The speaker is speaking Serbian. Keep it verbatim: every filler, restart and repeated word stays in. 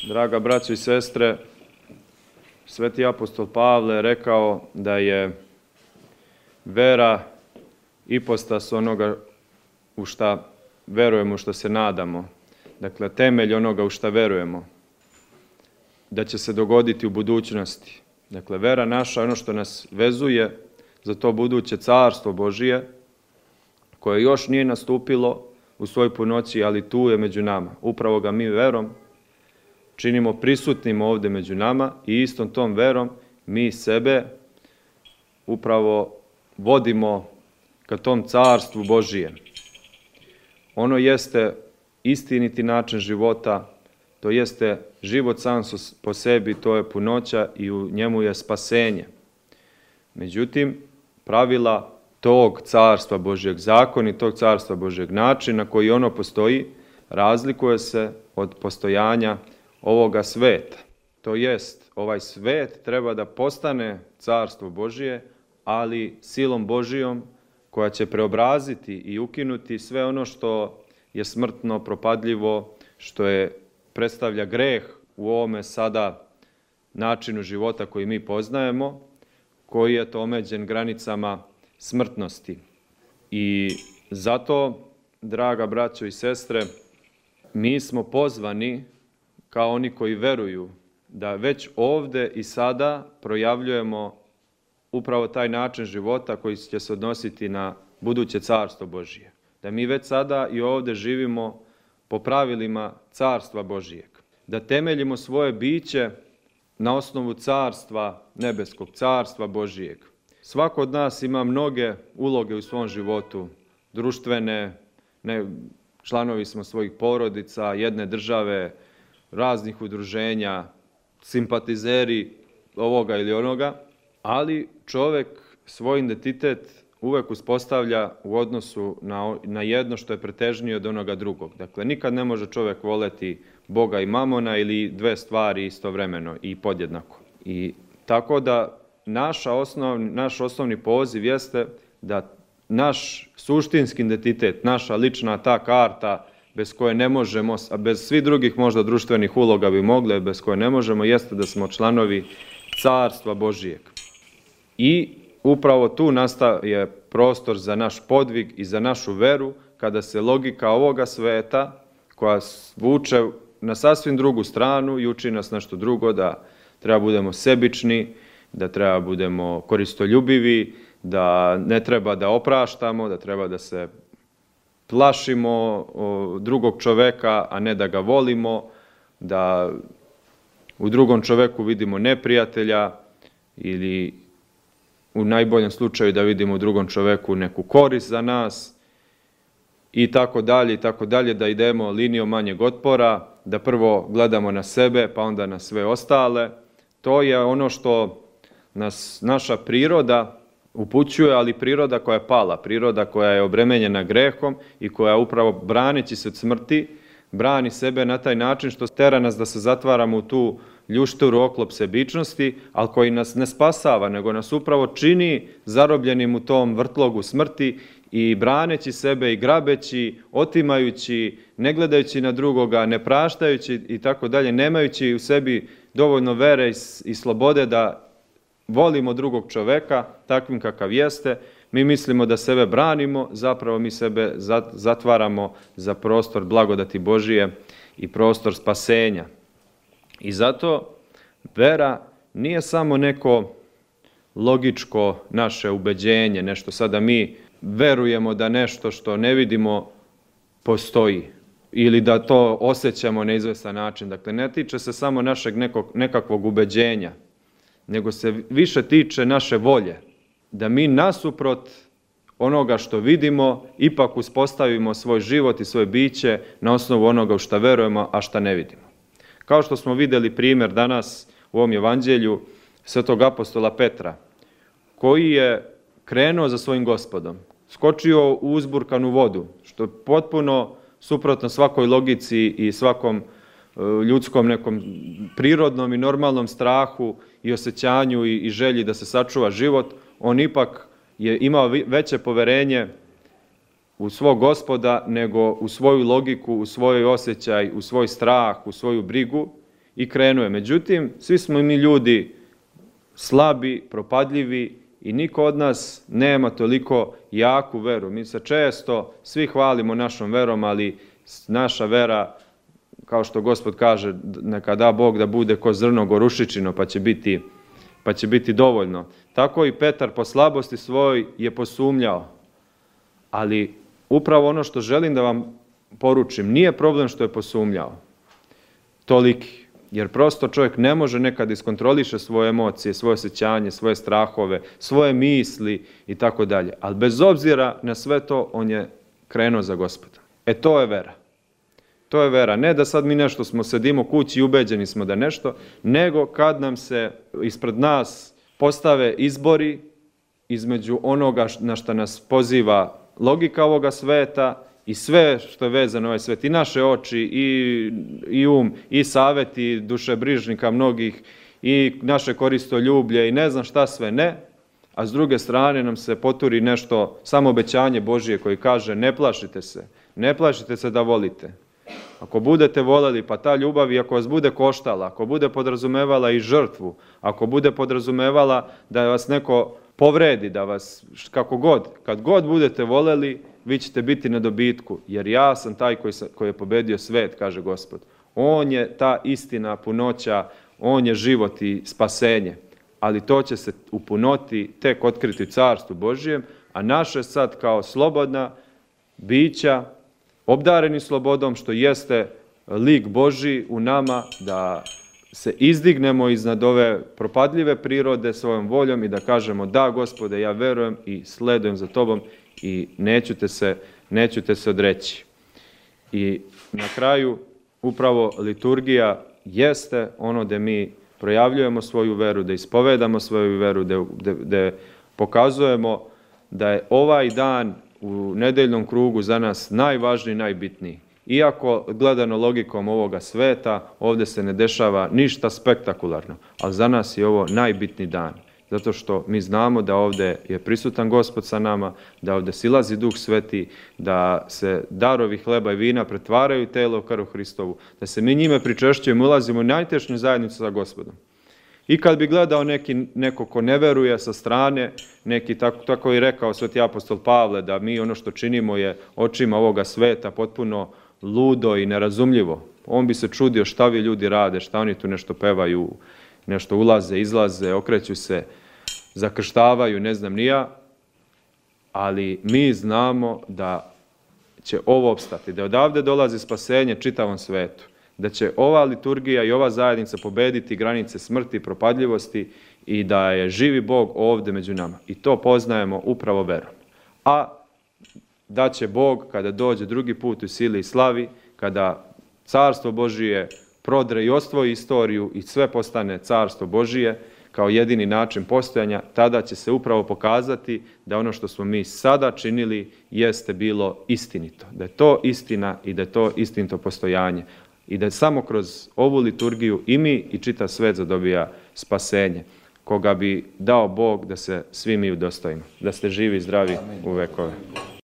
Draga braćo i sestre, sveti apostol Pavle je rekao da je vera ipostas onoga u šta verujemo, u šta se nadamo. Dakle, temelj onoga u šta verujemo, da će se dogoditi u budućnosti. Dakle, vera naša je ono što nas vezuje za to buduće carstvo Božije, koje još nije nastupilo u svojoj punoći, ali tu je među nama. Upravo ga mi verom činimo prisutnim ovdje među nama i istom tom verom mi sebe upravo vodimo ka tom carstvu Božijem. Ono jeste istiniti način života, to jeste život sam po sebi, to je punoća i u njemu je spasenje. Međutim, pravila tog carstva Božjeg, zakoni tog carstva Božjeg, način na koji ono postoji, razlikuje se od postojanja ovoga sveta. To jest, ovaj svet treba da postane carstvo Božije, ali silom Božijom koja će preobraziti i ukinuti sve ono što je smrtno, propadljivo, što je predstavlja greh u ovome sada načinu života koji mi poznajemo, koji je to omeđen granicama smrtnosti. I zato, draga braćo i sestre, mi smo pozvani kao oni koji veruju da već ovde i sada projavljujemo upravo taj način života koji će se odnositi na buduće carstvo Božije. Da mi već sada i ovde živimo po pravilima carstva Božijeg. Da temeljimo svoje biće na osnovu carstva nebeskog, carstva Božijeg. Svako od nas ima mnoge uloge u svom životu, društvene, ne, članovi smo svojih porodica, jedne države, raznih udruženja, simpatizeri ovoga ili onoga, ali čovjek svoj identitet uvek uspostavlja u odnosu na, na jedno što je pretežnije od onoga drugog. Dakle, nikad ne može čovjek voleti Boga i mamona ili dve stvari istovremeno i podjednako. I tako da naša osnovni, naš osnovni poziv jeste da naš suštinski identitet, naša lična ta karta bez koje ne možemo, a bez svih drugih možda društvenih uloga bi mogle, bez koje ne možemo, jeste da smo članovi carstva Božijeg. I upravo tu nastaje prostor za naš podvig i za našu veru, kada se logika ovoga sveta, koja vuče na sasvim drugu stranu i uči nas nešto drugo, da treba budemo sebični, da treba budemo koristoljubivi, da ne treba da opraštamo, da treba da se plašimo drugog čoveka, a ne da ga volimo, da u drugom čoveku vidimo neprijatelja ili u najboljem slučaju da vidimo u drugom čoveku neku korist za nas i tako dalje i tako dalje, da idemo linijom manjeg otpora, da prvo gledamo na sebe pa onda na sve ostale. To je ono što nas naša priroda upućuje, ali priroda koja je pala, priroda koja je obremenjena grehom i koja upravo braneći se od smrti, brani sebe na taj način što tera nas da se zatvaramo u tu ljušturu oklop sebičnosti, ali koji nas ne spasava, nego nas upravo čini zarobljenim u tom vrtlogu smrti i braneći sebe i grabeći, otimajući, ne gledajući na drugoga, ne praštajući i tako dalje, nemajući u sebi dovoljno vere i slobode da volimo drugog čoveka takvim kakav jeste, mi mislimo da sebe branimo, zapravo mi sebe zatvaramo za prostor blagodati Božije i prostor spasenja. I zato vera nije samo neko logičko naše ubeđenje, nešto sada mi verujemo da nešto što ne vidimo postoji ili da to osjećamo na izvestan način. Dakle, ne tiče se samo našeg nekog, nekakvog ubeđenja, nego se više tiče naše volje, da mi nasuprot onoga što vidimo ipak uspostavimo svoj život i svoje biće na osnovu onoga u šta verujemo, a šta ne vidimo. Kao što smo vidjeli primjer danas u ovom evanđelju svetog apostola Petra, koji je krenuo za svojim Gospodom, skočio u uzburkanu vodu, što je potpuno suprotno svakoj logici i svakom ljudskom nekom prirodnom i normalnom strahu i osjećanju i, i želji da se sačuva život. On ipak je imao veće poverenje u svog Gospoda nego u svoju logiku, u svoj osjećaj, u svoj strah, u svoju brigu i krenuo je. Međutim, svi smo mi ljudi slabi, propadljivi i niko od nas nema toliko jaku veru. Mi se često svi hvalimo našom verom, ali naša vera, kao što Gospod kaže, neka da Bog da bude ko zrno gorušičino, pa će biti, pa će biti dovoljno. Tako i Petar po slabosti svoj je posumnjao. Ali upravo ono što želim da vam poručim, nije problem što je posumnjao toliki. Jer prosto čovjek ne može nekad iskontroliše svoje emocije, svoje osjećanje, svoje strahove, svoje misli i tako dalje. Ali bez obzira na sve to, on je krenuo za Gospoda. E to je vera. To je vera. Ne da sad mi nešto smo, sedimo kući i ubeđeni smo da nešto, nego kad nam se ispred nas postave izbori između onoga na što nas poziva logika ovoga sveta i sve što je vezano ovaj svet, i naše oči, i, i um, i saveti dušebrižnika mnogih, i naše koristoljublje, i ne znam šta sve ne, a s druge strane nam se poturi nešto, samo obećanje Božije koji kaže ne plašite se, ne plašite se da volite. Ako budete voljeli, pa ta ljubav, i ako vas bude koštala, ako bude podrazumevala i žrtvu, ako bude podrazumevala da vas neko povredi, da vas, kako god, kad god budete voljeli, vi ćete biti na dobitku, jer ja sam taj koji, sam, koji je pobedio svet, kaže Gospod. On je ta istina, punoća, on je život i spasenje, ali to će se u punoti tek otkriti u Carstvu Božijem, a naše sad kao slobodna bića, obdareni slobodom, što jeste lik Božji u nama, da se izdignemo iznad ove propadljive prirode svojom voljom i da kažemo da, Gospode, ja verujem i sledujem za Tobom i neću te se, neću te se odreći. I na kraju upravo liturgija jeste ono da mi projavljujemo svoju veru, da ispovedamo svoju veru, da, da, da pokazujemo da je ovaj dan u nedeljnom krugu za nas najvažniji, najbitniji. Iako gledano logikom ovoga sveta, ovdje se ne dešava ništa spektakularno, ali za nas je ovo najbitniji dan. Zato što mi znamo da ovdje je prisutan Gospod sa nama, da ovdje silazi Duh Sveti, da se darovi hleba i vina pretvaraju telo u krv Hristovu, da se mi njime pričešćujemo, ulazimo u najtešnju zajednicu sa Gospodom. I kad bi gledao neki, neko ko ne veruje sa strane, neki tako, tako i rekao sveti apostol Pavle, da mi ono što činimo je očima ovoga sveta potpuno ludo i nerazumljivo. On bi se čudio šta vi ljudi rade, šta oni tu nešto pevaju, nešto ulaze, izlaze, okreću se, zakrštavaju, ne znam ni ja, ali mi znamo da će ovo opstati, da odavde dolazi spasenje čitavom svetu, da će ova liturgija i ova zajednica pobediti granice smrti i propadljivosti i da je živi Bog ovdje među nama. I to poznajemo upravo verom. A da će Bog, kada dođe drugi put u sili i slavi, kada Carstvo Božije prodre i osvoji istoriju i sve postane Carstvo Božije kao jedini način postojanja, tada će se upravo pokazati da ono što smo mi sada činili jeste bilo istinito. Da je to istina i da je to istinito postojanje. I da je samo kroz ovu liturgiju i mi i čitav svet zadobija spasenje, koga bi dao Bog da se svi mi udostojimo, da ste živi i zdravi u vekove.